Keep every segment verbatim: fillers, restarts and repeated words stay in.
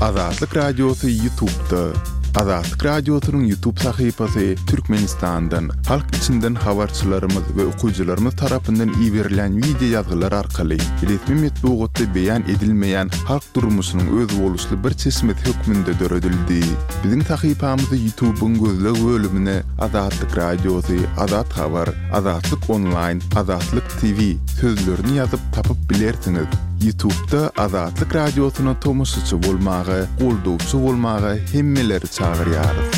Azatlyk Radiosy YouTube'da. Azatlyk Radiosynyň YouTube sahypasy Türkmenistandan, halk içinden habarçylarymyz we okyjylarymyz tarapyndan iberilen wideo ýazgylar arkaly resmi metbugatda beýan edilmeýän halk durmuşynyň özboluşly bir çeşmesi hökmünde döredildi. Biziň sahypamyzy YouTube'yň gözleg bölümine Azatlyk Radiosy, Azat Habar, Azatlyk Online, Azatlyk TV sözlerini ýazyp tapyp bilersiňiz. YouTube'da Azatlyk Radiosyna tomaşaçy bolmaga, goldawçy bolmaga hemmeleri çagyrýarys.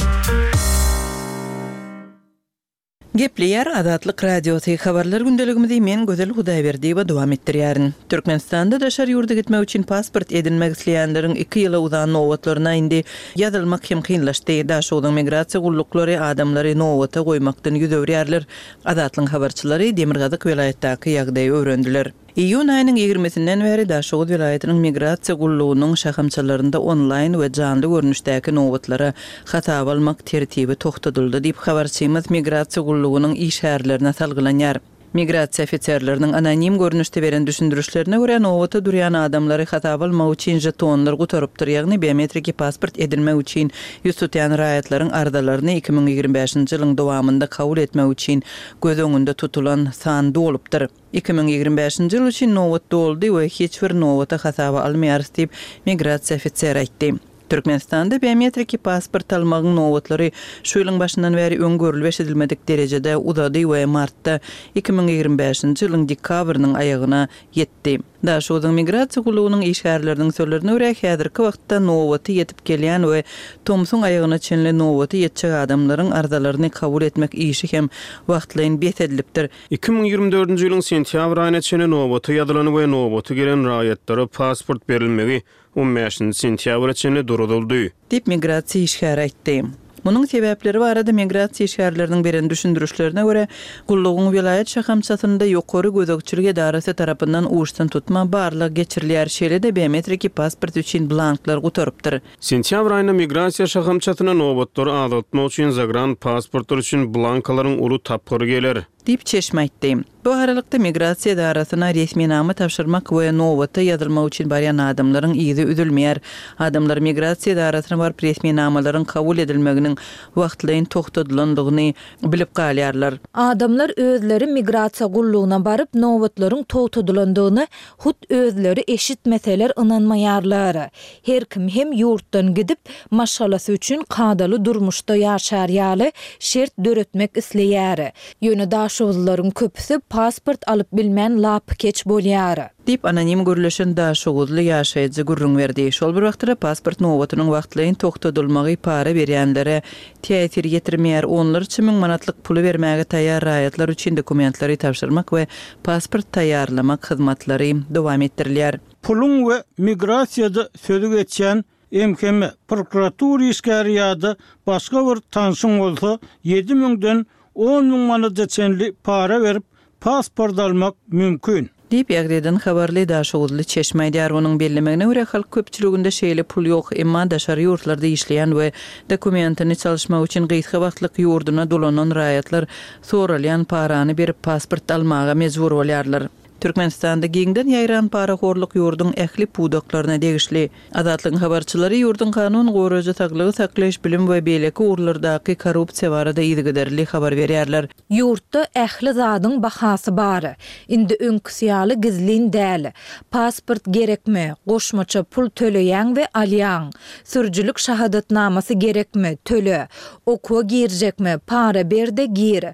Gepleýär Azatlyk Radiosy habarlar gündeligimizi men Gözel Hudaýberdiýewa dowam etdirýärin. Türkmenistanda daşary ýurda gitmek üçin pasport edinmek isleýänleriň iki ýyla uzan nobatlaryna indi ýazylmak hem kynlaşdy. Daşogzuň migrasiýa gulluklary adamlary nobata goýmakdan ýüz öwürýärler. Azatlygyň habarçylary Demirgazyk welaýatdaky ýagdaýy öwrendiler. Iýun aýynyň ýigrimisinden bäri Daşoguz welaýatynyň migrasiýa gullugynyň şahamçalarynda onlaýn we janly görnüşdäki nobatlara hasaba almak tertibi togtadyldy diýip habarçymyz migrasiýa gullugynyň işgärlerine salgylanýar. Migrasiýa ofiserleriniň anonim görnüşde beren düşündirişlerine görä nobata durýan adamlary hasaba almak üçin jetonlar gutarypdyr, ýagny biometriki pasport edinmek üçin ýüz tutýan raýatlaryň arzalaryny iki müň ýigrimi bäşinji ýylyň dowamynda kabul etmek üçin göz öňünde tutulan san dolupdyr. iki müň ýigrimi bäşinji ýyl üçin nobat doldy we hiç bir nobata hasaba almaýarys diýip migrasiýa ofiseri aýtdy. Türkmenistanda biometriki pasport almagyň nobatlary şu ýylyň başyndan bäri öň görülip eşidilmedik derejede uzady we martda iki müň ýigrimi bäşinji ýylyň dekabrynyň aýagyna ýetdi. Daşogzuň migrasiýa gullugynyň işgärleriniň sözlerine görä häzirki wagtda nobaty ýetip gelýän we tomsuň aýagyna çenli nobaty ýetjek adamlaryň arzalaryny kabul etmek işi hem wagtlaýyn bes edilipdir. iki müň ýigrimi dördünji ýylyň sentýabr aýyna çenli nobata ýazylan we nobaty gelen raýatlara pasport berilmegi on bäşinji sentýabra çenli duruzyldy. Diýip migrasiýa işgäri aýtdy. Munuň sebäpleri barada migrasiýa işgärleriniň beren düşündirişlerine görä, gullugyň welaýat şahamçasynda ýokary gözegçilik edarasy tarapyndan uçdan tutma barlag geçirilýär. Şeýle-de biometriki pasport üçin blanklar gutarypdyr. Sentýabr aýynda migrasiýa şahamçasyna nobatlary azaltmak üçin zagran pasportlar üçin blankalaryň uly tapgyry geler. Diýip çeşme aýtdy. Bu aralykda migrasiýa edarasyna resminama tabşyrmak we nobata ýazylmak üçin barýan adamlaryň yzy üzülmeýär. Adamlar migrasiýa edarasyna baryp resminamalaryň kabul edilmeginiň wagtlaýyn togtadylandygyny bilip galýarlar. Adamlar özleri migrasiýa gullugyna baryp nobatlaryň togtadylandygyny hut özleri eşitmeseler ynanmaýarlar. Her kim hem ýurtdan gidip maşgalasy üçin kadaly durmuşda ýaşar ýaly şert döretmek isleýär. Ýöne daşoguzlaryň köpüsi pasport alyp bilmän lapykeç bolýar. Diýip anonim gürleşen Daşoguzly ýaşaýjy gürrüň berdi. Şol bir wagtda pasport nobatynyň wagtlaýyn togtadylmagy para berýänlere täsir ýetirmeýär. Onlarça müň manatlyk puly bermäge taýýar raýatlar üçin dokumentleri tabşyrmak we pasport taýýarlamak hyzmatlary dowam etdirilýär. Puluň we migrasiýada sözü geçýän M K M prokuratura işgäri ýa-da başga bir tanşyň bolsa ýedi müňden on müň manata çenli para berip pasport almak mümkin. Diýip ýagdaýdan habarly Daşoguzly çeşme aýdýar. Onuň bellemegine görä halk köpçüliginde şeýle pul ýok, emma daşary ýurtlarda işleýän we dokumentini çalyşmak üçin gysga wagtlyk ýurduna dolanan raýatlar soralýan parany berip pasport almaga mejbur bolýarlar. Türkmenistanda giňden ýaýran parahorluk ýurduň ähli pudaklaryna degişli. Azatlygyň habarçylary ýurduň kanun goraýjy saglygy saklaýyş bilim we beýleki ugurlardaky korrupsiýa barada yzygiderli habar berýärler. Ýurtda ähli zadyň bahasy bar. Indi öňküsi ýaly gizlin däl. Pasport gerekmi? Goşmaça pul töleýäň we alýaň. Sürüjilik şahadatnamasy gerekmi? Töle. Okuwa girjekmi? Para ber de gir.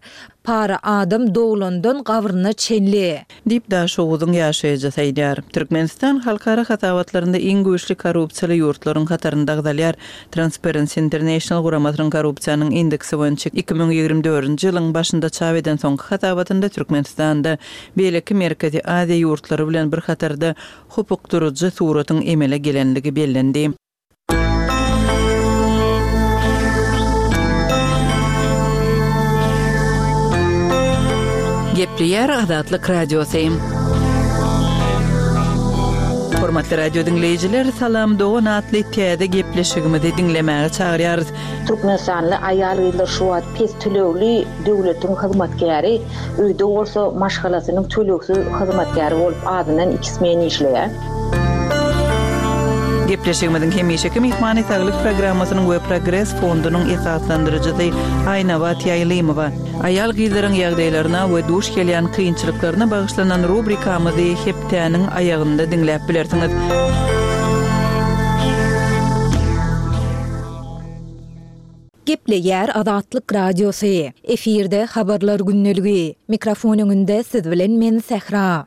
Para adam doglandan gabryna çenli. Diýip Daşoguzyň ýaşaýjysy aýdýar. Türkmenistan halkara hasabatlarynda iň güýçli korrupsiýaly ýurtlaryň hatarynda agzalýar. Transparency International guramasynyň korrupsiýanyň indeksi boýunça iki müň ýigrimi dördünji ýylyň başynda çap eden soňky hasabatynda Türkmenistanda beýleki Merkezi Aziýa ýurtlary bilen bir hatarda hopukdyryjy suratyň emele gelenligi bellendi. Gepleýär Azatlyk Radiosy. Hormatly radio dinleýjiler, Salam Dogan atly täze gepleşigimizi diňlemäge çagyrýarys. Türkmenistanly aýal-gyzlar şu wagt pes tölegli döwletiň hyzmatkäri, öýde bolsa maşgalasynyň tölegsiz hyzmatkäri bolup azyndan iki smen işleýär. Gepleşigimiziň hemişeki myhmany saglyk programmasynyň we Progres fondunyň esaslandyryjysy Aýnabat Ýaýlymowa. Aýal gyzlaryň ýagdaýlaryna we duş gelýän kynçylyklaryna bagyşlanan rubrikamyzy hepdäniň aýagynda diňläp bilersiňiz. Gepleýär Azatlyk Radiosy. Efirde habarlar gündeligi. Mikrofon öňünde siz bilen men Sähra.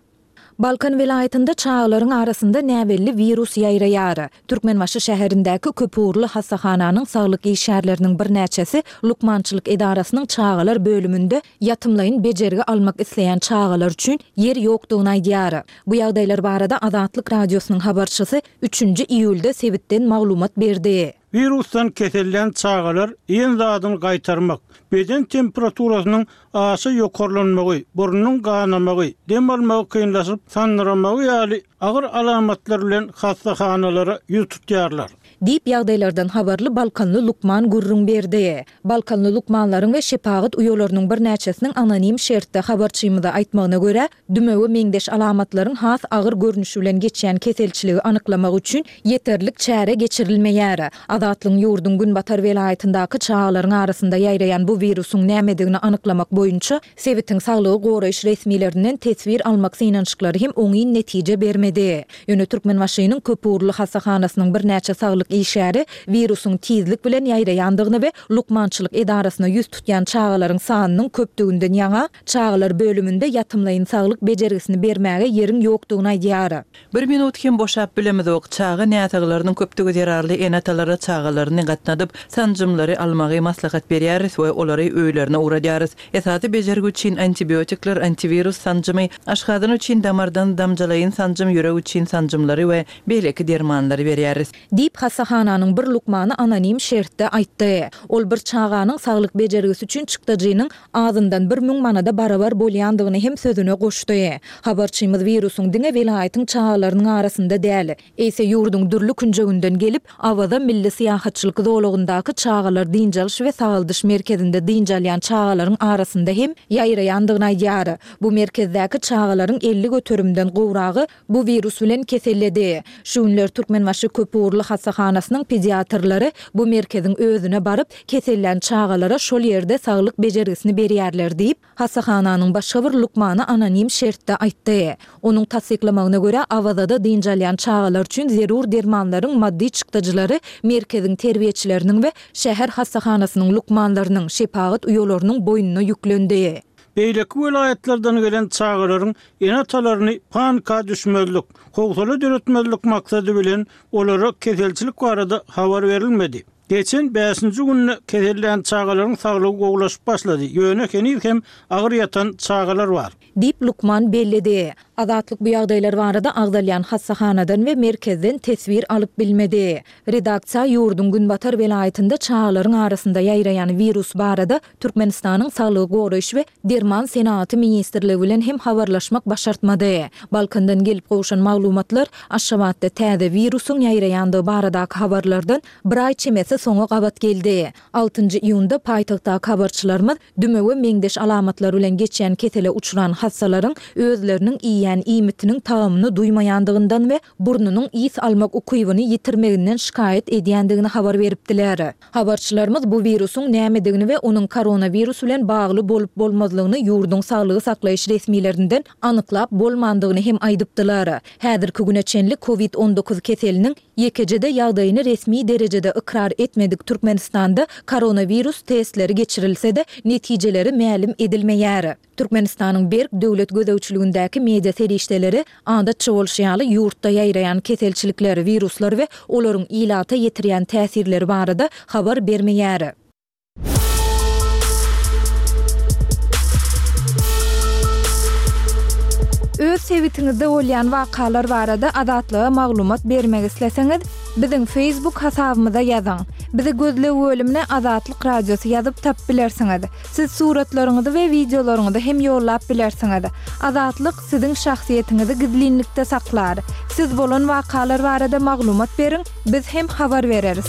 Balkan welaýatynda çagalaryň arasynda näbelli wirus ýaýraýar. Türkmenbaşy şäherindäki köpugurly hassahananyň saglyk işgärleriniň birnäçesi lukmançylyk edarasynyň çagalar bölüminde ýatymlaýyn bejergi almak isleýän çagalar üçin ýer ýokdugyny aýdýar. Bu ýagdaýlar barada Azatlyk Radiosynyň habarçysy üçünji iýulda sebitden maglumat berdi. Wirusdan kesellän çagalar iýen zadyny gaýtarmak, beden temperaturasynyň aşa ýokarlanmagy, burnuň ganamagy, dem almagy kynlaşyp, sandyramagy ýaly agyr alamatlar bilen hassahanalara ýüz tutýarlar. Diýip ýagdaýlardan habarly Balkanly lukman gürrüň berdi. Balkanly lukmanlaryň we şepagat uýalarynyň birnäçesiniň anonim şertde habarçymyza aýtmagyna görä, dümewe meňzeş alamatlaryň has agyr görnüşi bilen geçýän keselçiligi anyklamak üçin ýeterlik çäre geçirilmeýär. Azatlygyň ýurduň Günbatar welaýatyndaky çagalaryň arasynda ýaýraýan bu wirusyň nämedigini anyklamak boýunça sebitiň saglygy goraýyş resmilerinden teswir almak synanyşyklary hem oňyn netije bermedi. Ýöne Türkmenbaşynyň köpugurly hassahanasynyň birnäçe saglyk işgäri wirusyň tizlik bilen ýaýraýandygyny we lukmançylyk edarasyna ýüz tutýan çagalaryň sanynyň köpdüginden ýaňa çagalar bölüminde ýatymlaýyn saglyk bejergisini bermäge ýeriň ýokdugyny aýdýar. Bir minut hem boşap bilemizok, çaga näsaglarynyň köpdügi zerarly ene-atalara çagalaryny gatnadyp, sanjymlary almagy maslahat berýäris we olary öýlerine ugradýarys. Esasy bejergi üçin antibiotikler, antiwirus sanjymy, aşgazan üçin damardan damjalaýyn sanjym, ýürek üçin sanjymlary we beýleki dermanlary berýäris. Diýip hassahananyň bir lukmany anonim şertde aýtdy. Ol bir çaganyň saglyk bejergisi üçin çykdajynyň azyndan bir müň manada barabar bolýandygyny hem sözüne goşdy. Habarçymyz wirusyň diňe welaýatyň çagalarynyň arasynda däl, eýse ýurduň dürli künjeginden gelip, Awaza milli syýahatçylyk zolagyndaky çagalar dynç alyş we sagaldyş merkezinde dynç alýan çagalaryň arasynda hem ýaýraýandygyny aýdýar. Bu merkezdäki çagalaryň elli göterimden gowragy bu wirus bilen keselledi. Şu günler Türkmenbaşy köpugurly hassahanasynyň pediatrlary bu merkeziň özüne baryp, kesellän çagalara şol ýerde saglyk bejergisini berýärler diýip, hassahananyň başga bir lukmany anonim şertde aýtdy. Onuň tassyklamagyna görä, Awazada dynç alýan çagalar üçin zerur dermanlaryň maddy çykdajylary merkeziň terbiýeçileriniň we şäher hassahanasynyň lukmanlarynyň, şepagat uýalarynyň boýnuna ýüklendi. Beýleki welaýatlardan gelen çagalaryň ene-atalaryny panika düşmezlik, howsala döretmezlik maksady bilen olara keselçilik barada habar berilmedi. Geçen bäşinji günde kesellän çagalaryň saglygy gowulaşyp başlady. Ýöne heniz hem agyr ýatan çagalar bar. Diýip lukman belledi. Azatlyk bu ýagdaýlar barada agzalýan hassahanadan we merkezden teswir alyp bilmedi. Redaksiýa ýurduň Günbatar welaýatynda çagalaryň arasynda ýaýraýan wirus barada Türkmenistanyň Saglygy goraýyş we Derman senagaty ministrligi bilen hem habarlaşmak başartmady. Balkandan gelip gowşan maglumatlar Aşgabatda täze wirusyň ýaýraýandygy baradaky habarlardan bir aý çemesi soňa gabat geldi. Altynjy iýunda paýtagtdaky habarçylarymyz dümewe meňzeş alamatlar bilen geçýän kesele uçran hassalaryň özleriniň iýýän iýmitiniň tagamyny duýmaýandygyndan we burnunyň ys almak ukybyny ýitirmeginden şikaýat edýändigini habar beripdiler. Habarçylarymyz bu wirusyň nämedigini we onuň koronawirus bilen bagly bolup bolmazlygyny ýurduň saglygy saklaýyş resmilerinden anyklap bolmandygyny hem aýdypdylar. Häzirki güne çenli kovid on dokuz keseliniň ýekejede ýagdaýyny resmi derejede ykrar etmedik Türkmenistanda koronawirus testleri geçirilse-de netijeleri mälim edilmeýär. Türkmenistanyň berk döwlet gözegçiligindäki media serişdeleri adatça bolşy ýaly ýurtda ýaýraýan keselçilikler, wiruslar we olaryň ilata ýetirýän täsirleri barada habar bermeýär. Öz sebitiňizde bolýan wakalar barada Azatlyga maglumat bermek isleseňiz, biziň Facebook hasabymyza ýazyň. Bizi gözleg bölümine Azatlyk Radiosy ýazyp tap bilersiňiz. Siz suratlaryňyzy we wideolaryňyzy hem ýollap bilersiňiz. Azatlyk siziň şahsyýetiňizi gizlinlikde saklar. Siz bolan wakalar barada maglumat beriň, biz hem habar bereris.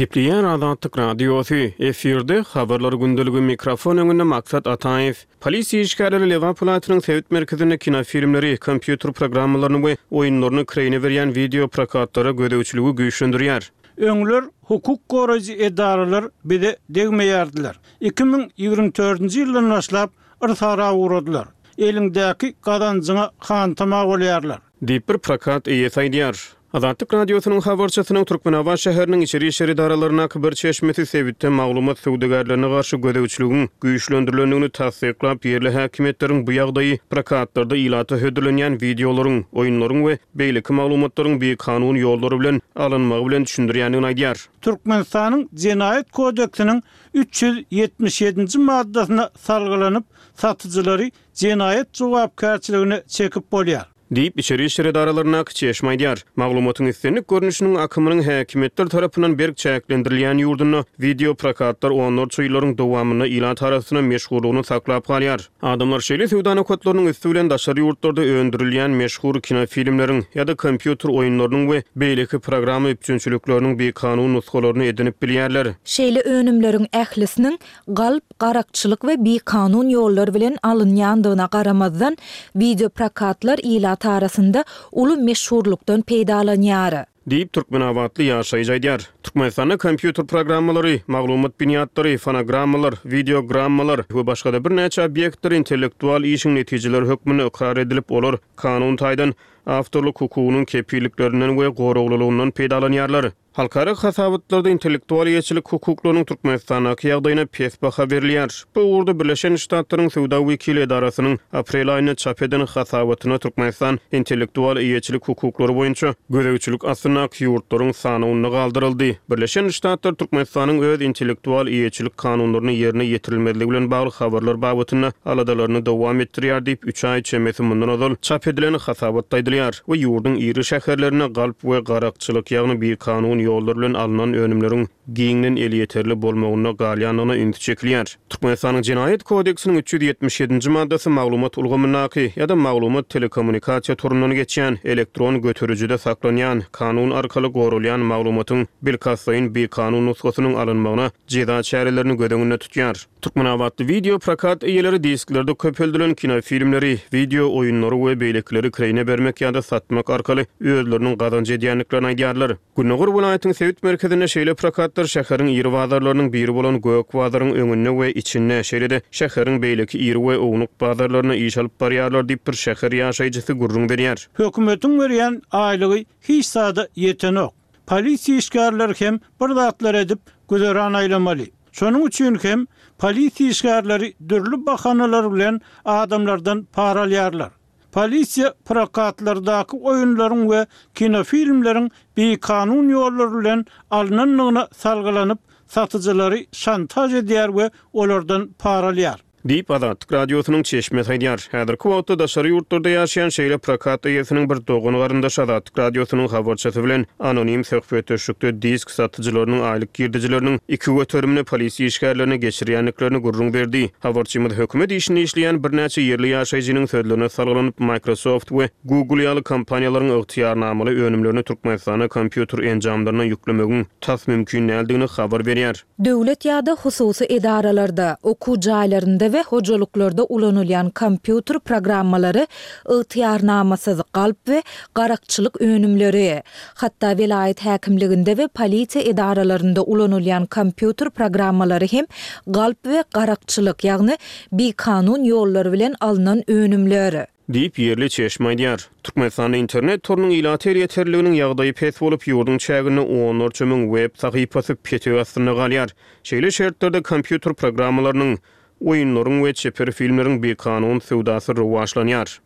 Gepleýär Azatlyk Radiosy, efirde Habarlar gündeligi mikrofon öňünde Maksat Ataýew. Polisiýa işgärleri Lebap welaýatynyň sebit merkezinde kinofilmleri, kompýuter programmalaryny we oýunlaryny kireýine berýän wideo prokatlara gözegçiligi güýçlendirýär. Öňler hukuk goraýjy edaralar bize degmeýärdiler. Iki müň ýigrimi dördünji ýyldan başlap yrsara ugradylar. Eliňdäki gazanjyňa hantama bolýarlar. Diýip bir prokat eýesi aýdýar. Azatlyk Radiosynyň habarçysynyň Türkmenabat şäheriniň içeri işler edaralaryndaky bir çeşmesi sebitde maglumat söwdagärlerine garşy gözegçiligiň güýçlendirilendigini tassyklap, ýerli häkimiýetleriň bu ýagdaýy prokatlarda ilata hödürlenýän wideolaryň, oýunlaryň we beýleki maglumatlaryň bikanun ýollary bilen alynmagy bilen düşündirýändigini aýdýar. Türkmenistanyň Jenaýat kodeksiniň üç ýüz ýetmiş ýedinji maddasyna salgylanyp, satyjylary jenaýat jogapkärçiligine çekip bolýar. Diýip, içeri işler edaralaryndaky çeşme aýdýar. Maglumatyň islendik görnüşiniň akymynyň häkimiýetler tarapyndan berk çäklendirilýän ýurdunda wideo prokatlar onlarça ýyllaryň dowamynda ilat arasynda meşhurlygyny saklap galýar. Adamlar şeýle söwda nokatlarynyň üsti bilen daşary ýurtlarda öndürilýän meşhur kinofilmleriň ýa-da kompýuter oýunlarynyň we beýleki programma üpjünçilikleriniň bikanun nusgalaryny edinip bilýärler. Şeýle önümleriň ählisiniň galp, garakçylyk we bikanun ýollar bilen alynýandygyna garamazdan, wideo prokatlar ilat arasynda uly meşhurlykdan peýdalanýar. Diýip, türkmenabatly ýaşaýjy aýdýar. Türkmenistanda kompýuter programmalary, maglumat binýatlary, fonogrammalar, wideogrammalar we başga-da birnäçe obýektler intellektual işiň netijeleri hökmünde ykrar edilip, olar kanun taýdan awtorlyk hukugynyň kepilliklerinden we goraglylygyndan peýdalanýarlar. Halkara hasabatlarda intellektual eýeçilik hukuklarynyň Türkmenistandaky ýagdaýyna pes baha berilýär. Bu ugurda Birleşen Ştatlaryň söwda wekili edarasynyň aprel aýynda çap eden hasabatyna Türkmenistan intellektual eýeçilik hukuklary boýunça gözegçilik astyndaky ýurtlaryň sanawynda galdyryldy. Birleşen Ştatlar Türkmenistanyň öz intellektual eýeçilik kanunlaryny ýerine ýetirilmezligi bilen bagly habarlar babatynda aladalaryny dowam etdirýär diýip, üç aý çemesi mundan ozal çap edilen hasabatda aýdylýar we ýurduň iri şäherlerinde galp we garakçylyk, ýagny bikanun ýollar bilen alnan önümleriň giňden elýeterli bolmagynda galýandygyna üns çekilýär. Türkmenistanyň Jenaýat kodeksiniň üç ýüz ýetmiş ýedinji maddasy maglumat ulgamyndaky ýa-da maglumat telekommunikasiýa torundan geçýän elektron göterijide saklanýan kanun arkaly goralýan maglumatyň bilkastlaýyn bikanun nusgasynyň alynmagyna jeza çärelerini göz öňünde tutýar. Türkmenabatly wideo prokat eýeleri disklerde köpeldilen kinofilmleri, wideo oýunlary we beýlekileri kireýine bermek ýa-da satmak arkaly özleriniň gazanç edýändiklerini aýdýarlar. Gündogar welaýatyň sebit merkezinde şeýle prokatlar şäheriň iri bazarlarynyň biri bolan Gök bazaryň öňünde we içinde, şeýle-de şäheriň beýleki iri we ownuk bazarlaryna iş alyp barýarlar diýip bir şäher ýaşaýjysy gürrüň berýär. Hökümetiň berýän aýlygy hiç zada ýetenok. Polisiýa işgärleri hem bir zatlar edip güzeran aýlamaly. Şonuň üçin hem polisiýa işgärleri dürli bahanalar bilen adamlardan para alýarlar. Polisiýa prokatlardaky oýunlaryň we kinofilmleriň bikanun ýollar bilen alynandygyna salgylanyp, satyjylary şantaj edýär we olardan para alýar. Diýip, Azatlyk Radiosynyň çeşmesi aýdýar. Häzirki wagtda daşary ýurtlarda ýaşaýan şeýle prokat eýesiniň bir dogan garyndaşy Azatlyk Radiosynyň habarçysy bilen anonim söhbetdeşlikde disk satyjylarynyň aýlyk girdejileriniň iki göterimini polisiýa işgärlerine geçirýändiklerini gürrüň berdi. Habarçymyz hökümet işinde işleýän birnäçe ýerli ýaşaýjynyň sözlerine salgylanyp, Microsoft we Google ýaly kompaniýalaryň ygtyýarnamaly önümlerini Türkmenistana kompýuter enjamlaryna ýüklemegiň tas mümkin däldigini habar berýär. Döwlet ýa-da hususy edaralarda, okuw jaýlarynda we hojalyklarda ulanylýan kompýuter programmalary ygtyýarnamasyz galp we garakçylyk önümleri, hatda welaýat häkimliginde we polisiýa edaralarynda ulanylýan kompýuter programmalary hem galp we garakçylyk, ýagny bikanun ýollar bilen alnan önümler. Diýip, ýerli çeşme aýdýar. Türkmenistanda internet torunyň ilat elýeterliliginiň ýagdaýy pes bolup, ýurduň çäginde onlarça müň web sahypasy petek astynda galýar. Şeýle şertlerde kompýuter programmalarynyň, oýunlaryň we çeper filmleriň bikanun söwdasy rowaçlanýar.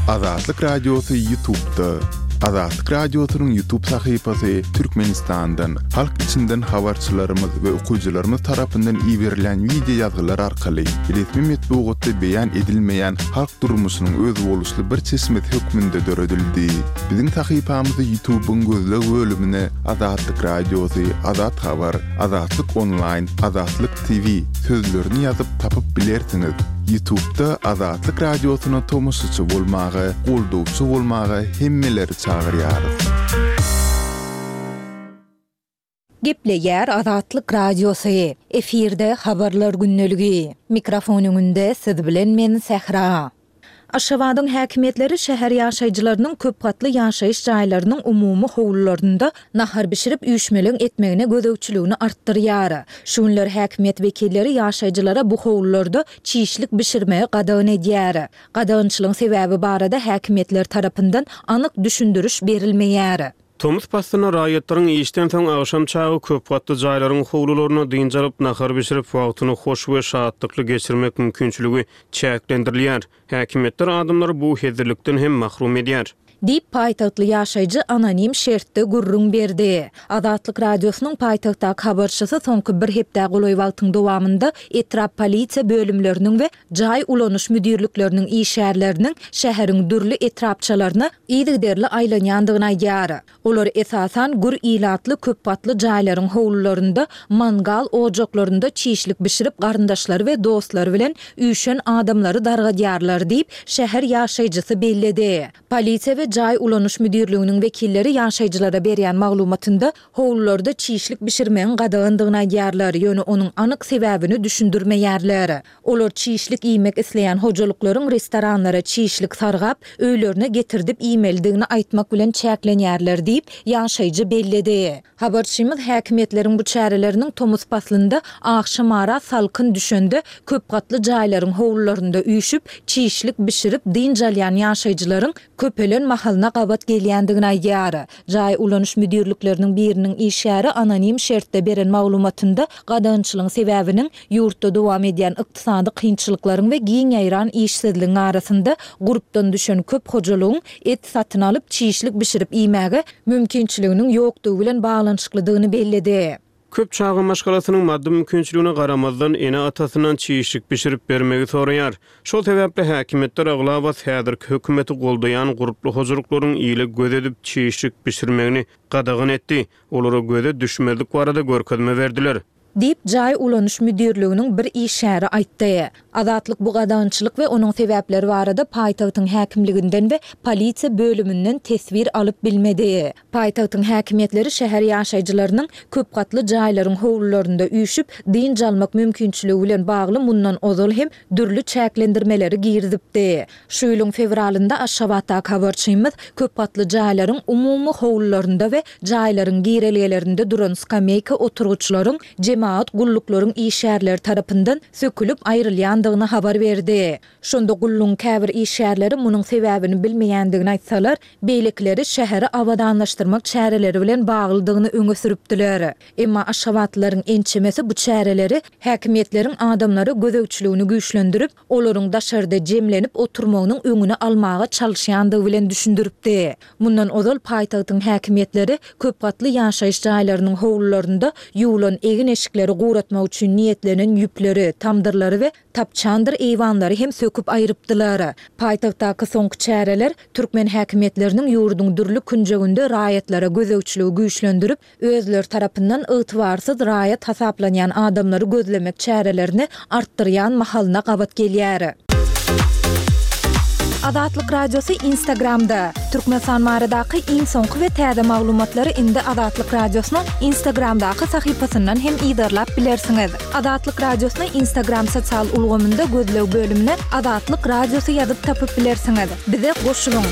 Azatlyk Radiosy YouTube'da. Azatlyk Radiosynyň YouTube sahypasy Türkmenistandan, halk içinden habarçylarymyz we okyjylarymyz tarapyndan iberilen wideo ýazgylar arkaly resmi metbugatda beýan edilmeýän halk durmuşynyň özboluşly bir çeşmesi hökmünde döredildi. Biziň sahypamyzy YouTube'yň gözleg bölümine Azatlyk Radiosy, Azat Habar, Azatlyk Online, Azatlyk T V sözlerini ýazyp tapyp bilersiňiz. Ýutubda Azatlyk Radiosyna tomaşaçy bolmaga, goldawçy bolmaga hemmeleri çagyrýarys. Gepleýär Azatlyk Radiosy. Efirde Habarlar gündeligi. Mikrofon öňünde siz bilen men Sähra. Aşgabadyň häkimiýetleri şäher ýaşaýjylarynyň köp gatly ýaşaýyş jaýlarynyň umumy howlularynda nahar bişirip üýşmeleň etmegine gözegçiligini artdyrýar. Şu günler häkimiýet wekilleri ýaşaýjylara bu howlularda çişlik bişirmegi gadagan edýär. Gadagançylygyň sebäbi barada häkimiýetler tarapyndan anyk düşündiriş berilmeýär. Tomus paslynda raýatlaryň işden soň agşam çagy köp gatly jaýlaryň howlularynda dynç alyp, nahar bişirip, wagtyny hoş we şatlykly geçirmek mümkinçiligi çäklendirilýär. Häkimiýetler adamlary bu hezillikden hem mahrum edýär. Diýip, paýtagtly ýaşaýjy anonim şertde gürrüň berdi. Azatlyk Radiosynyň paýtagtdaky habarçysy soňky bir hepdä golaý wagtyň dowamynda etrap polisiýa bölümleriniň we jaý ulanyş müdirlikleriniň işgärleriniň şäheriň dürli etrapçalaryna yzygiderli aýlanýandygyny aýdýar. Olar esasan gür ilatly köpgatly jaýlaryň howlularynda mangal ojaklarynda çişlik bişirip garyndaşlary we dostlary bilen üýşen adamlary dargadýarlar diýip, şäher ýaşaýjysy belledi. Polisiýa we jaý ulanyş müdirliginiň wekilleri ýaşaýjylara berýän maglumatynda howlularda çişlik bişirmegiň gadagandygyny aýdýarlar, ýöne onuň anyk sebäbini düşündirmeýärler. Olar çişlik iýmek isleýän hojalyklaryň restoranlara çişlik sargap, öýlerine getirdip iýmelidigini aýtmak bilen çäklenýärler diýip, ýaşaýjy belledi. Habarçymyz häkimiýetleriň bu çäreleriniň tomus paslynda agşamara salkyn düşende köpgatly jaýlaryň howlularynda üýşüp, çişlik bişirip dynç alýan ýaşaýjylaryň köpelen mahalyna gabat gelýändigini aýdýar. Jaý ulanyş müdirlikleriniň biriniň işgäri anonim şertde beren maglumatynda gadagançylygyň sebäbiniň ýurtda dowam edýän ykdysady kynçylyklaryň we giň ýaýran işsizligiň arasynda gurpdan düşen köp hojalygyň et satyn alyp, çişlik bişirip iýmäge mümkinçiliginiň ýokdugy bilen baglanyşyklydygyny belledi. Köp çaga maşgalasynyň maddy mümkinçiligine garamazdan, ene-atasyndan çişlik bişirip bermegi soraýar. Şol sebäpli häkimiýetler aglabasy häzirki hökümeti goldaýan gurply hojalyklaryň ile göz edip çişlik bişirmegini gadagan etdi, olara göze düşmezlik barada görkezme berdiler. Diýip, jaý ulanyş müdirliginiň bir işgäri aýtdy. Azatlyk bu gadagançylyk we onuň sebäpleri barada paýtagtyň häkimliginden we polisiýa bölüminden teswir alyp bilmedi. Paýtagtyň häkimiýetleri şäher ýaşaýjylarynyň köpgatly jaýlaryň howlularynda üýşüp, dynç almak mümkinçiligi bilen bagly mundan ozal hem dürli çäklendirmeleri girizipdi. Şu ýylyň fewralynda Aşgabatdaky habarçymyz köpgatly jaýlaryň umumy howlularynda we jaýlaryň girelgelerinde duran skameýka oturgyçlaryň jemagat gulluklaryň işgärleri tarapyndan sökülip aýrylýandygyny habar berdi. Şonda gullugyň käbir işgärleri munuň sebäbini bilmeýändigini aýtsalar, beýlekileri şäheri abadanlaşdyrmak çäreleri bilen baglydygyny öňe sürüpdiler. Emma aşgabatlylaryň ençemesi bu çäreleri häkimiýetleriň adamlara gözegçiligini güýçlendirip, olaryň daşarda jemlenip oturmagynyň öňüni almaga çalyşýandygy bilen düşündiripdi. Mundan ozal paýtagtyň häkimiýetleri köpgatly ýaşaýyş jaýlarynyň howlularynda ýuwlan egin-eşikleri guratmak üçin niýetlenen ýüpleri, tamdyrlary we tapçandyr eýwanlary hem söküp aýrypdylar. Paýtagtdaky soňky çäreler türkmen häkimiýetleriniň ýurduň dürli künjeginde raýatlara gözegçiligi güýçlendirip, özleri tarapyndan ygtybarsyz raýat hasaplanýan adamlary gözlemek çärelerini artdyrýan mahalyna gabat gelýär. Azatlyk Radiosy Instagramda, Türkmenistan baradaky iň soňky we täze maglumatlary indi Azatlyk Radiosynyň Instagramdaky sahypasyndan hem yzarlap bilersiňiz. Azatlyk Radiosyny Instagram sosial ulgamynda gözleg bölümine Azatlyk Radiosy ýazyp tapyp bilersiňiz. Bize goşulyň!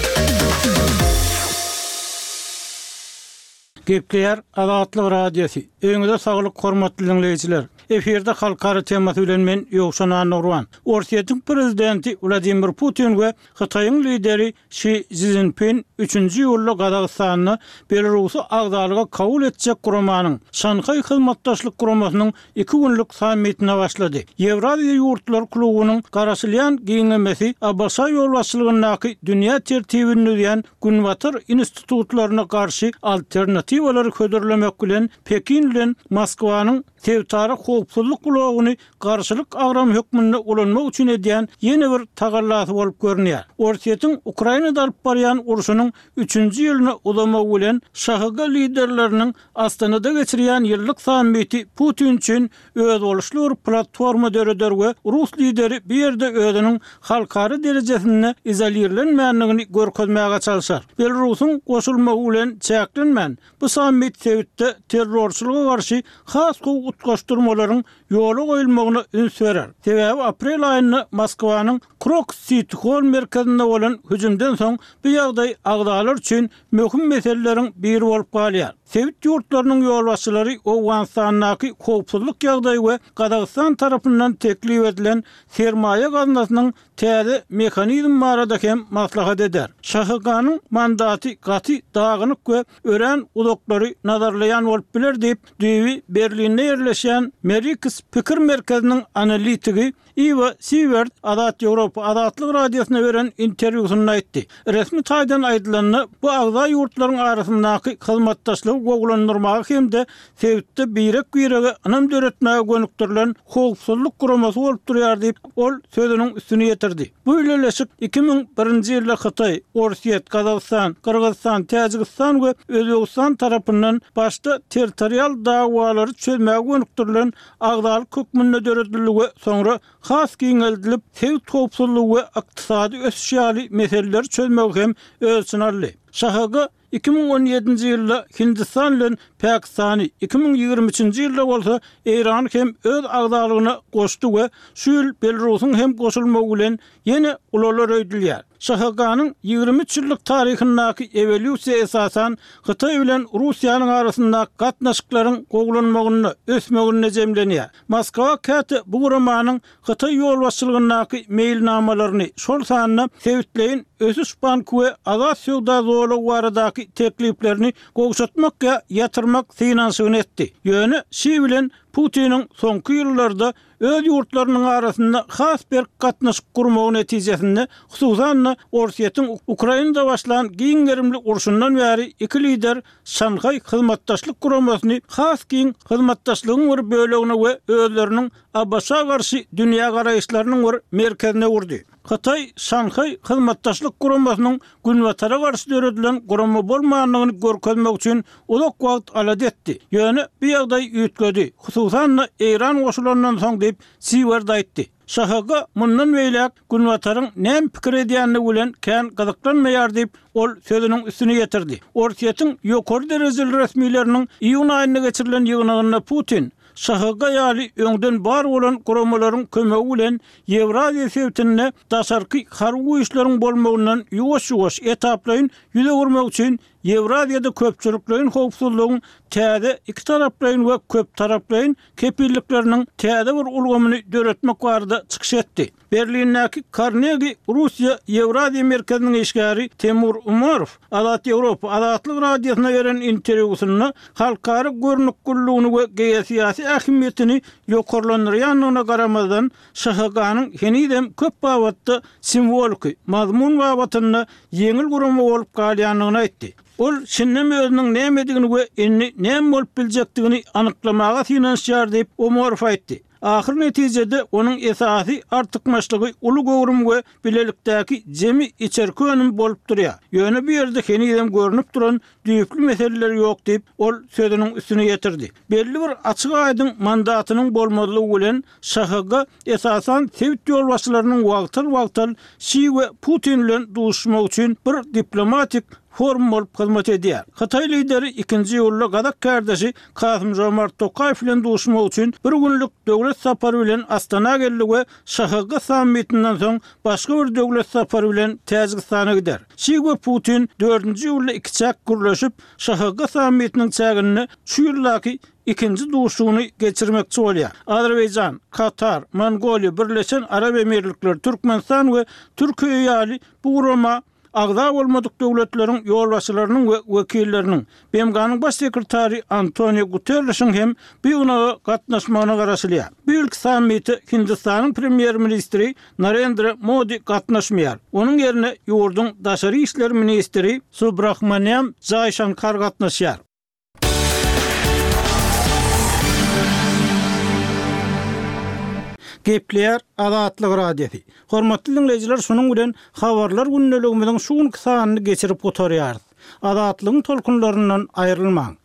Gepleýär Azatlyk Radiosy. Öýüňize saglyk hormatly diňleýjiler. Efirde halkara temasy bilen men Ýowşan Annagurban. Orsýetiň prezidenti Wladimir Putin we Hytaýyň lideri Şi Szinpin üçünji iýulda Gazagystanda Belarusy agzalyga kabul etjek guramanyň, Şanhaý Hyzmatdaşlyk Guramasynyň iki günlük sammitine başlady. Ýewraziýa ýurtlary klubunyň garaşylýan giňemesi ABŞ ýolbaşçylygyndaky dünýä tertibini düzýän Günbatar institutlaryna garşy alternatiwalary hödürlemek bilen Pekin bilen Moskwanyň sebitara howpsuzlyk howpsuzlyk bloguny garşylyk agramy hökmünde ulanmak üçin edýän ýene bir tagallasy bolup görünýär. Orsýetiň Ukrainada alyp barýan urşunyň üçünji ýylyna uzamagy bilen ŞHG liderleriniň Astanada geçirýän ýyllyk sammiti Putin üçin özboluşly bir platforma döreder we rus lideri bu ýerde özüniň halkara derejesinde izolirlenmändigini görkezmäge çalşar. Belarusyň goşulmagy bilen çäklenmän, bu sammit sebitde terrorçylyga garşy has gowy utgaşdyrmalaryň ýola goýulmagyna üns berer. Sebäbi aprel aýynda Moskwanyň Krokus Siti Holl merkezinde bolan hüjümden soň bu ýagdaý agzalar üçin möhüm meseleleriň biri bolup galýar. Sebit ýurtlarynyň ýolbaşçylary Owganystandaky howpsuzlyk ýagdaýy we Gazagystan tarapyndan teklip edilen sermaýa gaznasynyň täze mehanizmi barada hem maslahat eder. ŞHG-nyň mandaty gaty dagynyk we örän uzaklary nazarlaýan bolup biler diýip, düýbi Berlinde ýerleşýän Merics pikir merkeziniň analitigi Iwo Siwert Azat Ýewropa Azatlyk Radiosyna beren interwýusynda aýtdy. Resmi taýdan aýdylanda, bu agza ýurtlaryň arasyndaky hyzmatdaşlygy gowulandyrmaga hem-de sebitde birek-birege ynam döretmäge gönükdirilen howpsuzlyk guramasy bolup durýar diýip, ol sözüniň üstüni ýetirdi. Bu bileleşik iki müň birinji ýylda Hytaý, Orsýet, Gazagystan, Gyrgyzystan, Täjigistan we Özbegistan tarapyndan başda territorial dawalary çözmäge gönükdirilen agzalyk hökmünde döredildi we soňra has giňeldilip, sebit howpsuzlygy we ykdysady ösüş ýaly meseleleri çözmegi hem öz içine aldy. ŞHG iki müň on ýedinji ýylda Hindistan bilen Pakistany, iki müň ýigrimi üçünji ýylda bolsa Eýrany hem öz agzalygyna goşdy we şu ýyl Belarusyň hem goşulmagy bilen ýene ulalar öýdülýär. ŞHG-nyň ýigrimi üç ýyllyk taryhyndaky ewolýusiýa esasan Hytaý bilen Russiýanyň arasyndaky gatnaşyklaryň gowulanmagynda, ösmeginde jemlenýär. Moskwa käte bu guramanyň Hytaý ýolbaşçylygyndaky meýilnamalaryny, şol sanda sebitleýin ösüş banky we azat söwda zolagy baradaky tekliplerini gowşatmak ýa ýatyrmak synanyşygyny etdi. Ýöne Şi bilen Putiniň soňky ýyllarda öz ýurtlarynyň arasynda has berk gatnaşyk gurmagy netijesinde, hususan-da, Orsýetiň Ukrainada başlan giň gerimli urşundan bäri iki lider Şanhaý Hyzmatdaşlyk Guramasyny has giň hyzmatdaşlygyň bir bölegine we özleriniň ABŞ-a garşy dünýägaraýyşlarynyň bir merkezine öwürdi. Hytaý Şanhaý Hyzmatdaşlyk Guramasynyň Günbatara garşy döredilen gurama bolmandygyny görkezmek üçin uzak wagt alada etdi. Ýöne bu ýagdaý üýtgedi, hususan-da Eýran goşulandan soň diýip, Siwerd aýtdy. ŞHG mundan beýläk Günbataryň näme pikir edýändigi bilen kän gyzyklanmaýar diýip, ol sözüniň üstüni ýetirdi. Orsýetiň ýokary derejeli resmileriniň iýun aýynda geçirilen ýygnagynda Putin, ŞHG ýaly öňden bar bolan guramalaryň kömegi bilen Ýewraziýa sebitinde daşarky harby güýçleriň bolmagyndan ýuwaş-ýuwaş, etaplaýyn ýüz öwürmek üçin Ýewraziýada köpçülikleýin howpsuzlygyň täze ikitaraplaýyn we köptaraplaýyn kepillikleriniň täze bir ulgamyny döretmek barada çykyş etdi. Berlindäki Karnegi Russiýa Ýewraziýa merkeziniň işgäri Temur Umarow Azat Ýewropa Azatlyk Radiosyna beren interwýusynda halkara görnükliligini we geosyýasy ähmiýetini ýokarlandyrýandygyna garamazdan, ŞHG-nyň henizem köp babatda simwoliki, mazmun babatynda ýeňil gurama bolup galýandygyny aýtdy. Ol şindem özüniň nämedigini we indi näme bolup biljekdigini anyklamaga synanyşýar diýip, Umarow aýtdy. Ahyr netijede onuň esasy artykmaçlygy uly göwrüm we bilelikdäki jemi içerki önüm bolup durýar. Ýöne bu ýerde henizem görnüp duran düýpli meseleler ýok diýip, ol sözüniň üstüni ýetirdi. Belli bir açyk-aýdyň mandatynyň bolmazlygy bilen ŞHG esasan sebit ýolbaşçylarynyň wagtal-wagtal Şi we Putin bilen duşuşmagy üçin bir diplomatik forum bolup hyzmat edýär. Hytaý lideri ikinji iýulda gazak kärdeşi Kasym-Žomart Tokaýew bilen duşmak üçin bir günlük döwlet sapary bilen Astana geldi we ŞHG sammitinden soň başga bir döwlet sapary bilen Täjigistana gider. Şi we Putin dördünji iýulda ikiçäk gürleşip, ŞHG sammitiniň çäginde şu ýyldaky ikinji duşuşygyny geçirmekçi bolýar. Azerbaýjan, Katar, Mongoliýa, Birleşen Arap Emirlikleri, Türkmenistan we Türkiýe ýaly bu gurama agza bolmadyk döwletleriň ýolbaşçylarynyň we wekilleriniň, BMG-niň Baş sekretary Antonio Guterrişiň hem bu ýygnaga gatnaşmagyna garaşylýar. Bu ýylky sammite Hindistanyň premýer-ministri Narendra Modi gatnaşmaýar. Onuň ýerine ýurduň daşary işler ministri Subrahmanýam Jaýşankar gatnaşýar. Gepleýär Azatlyk Radiosy. Hormatly diňleýjiler, şunuň bilen Habarlar gündeligimiziň şu günki sanyny geçirip gutarýarys. Azatlygyň tolkunlaryndan aýrylmaň.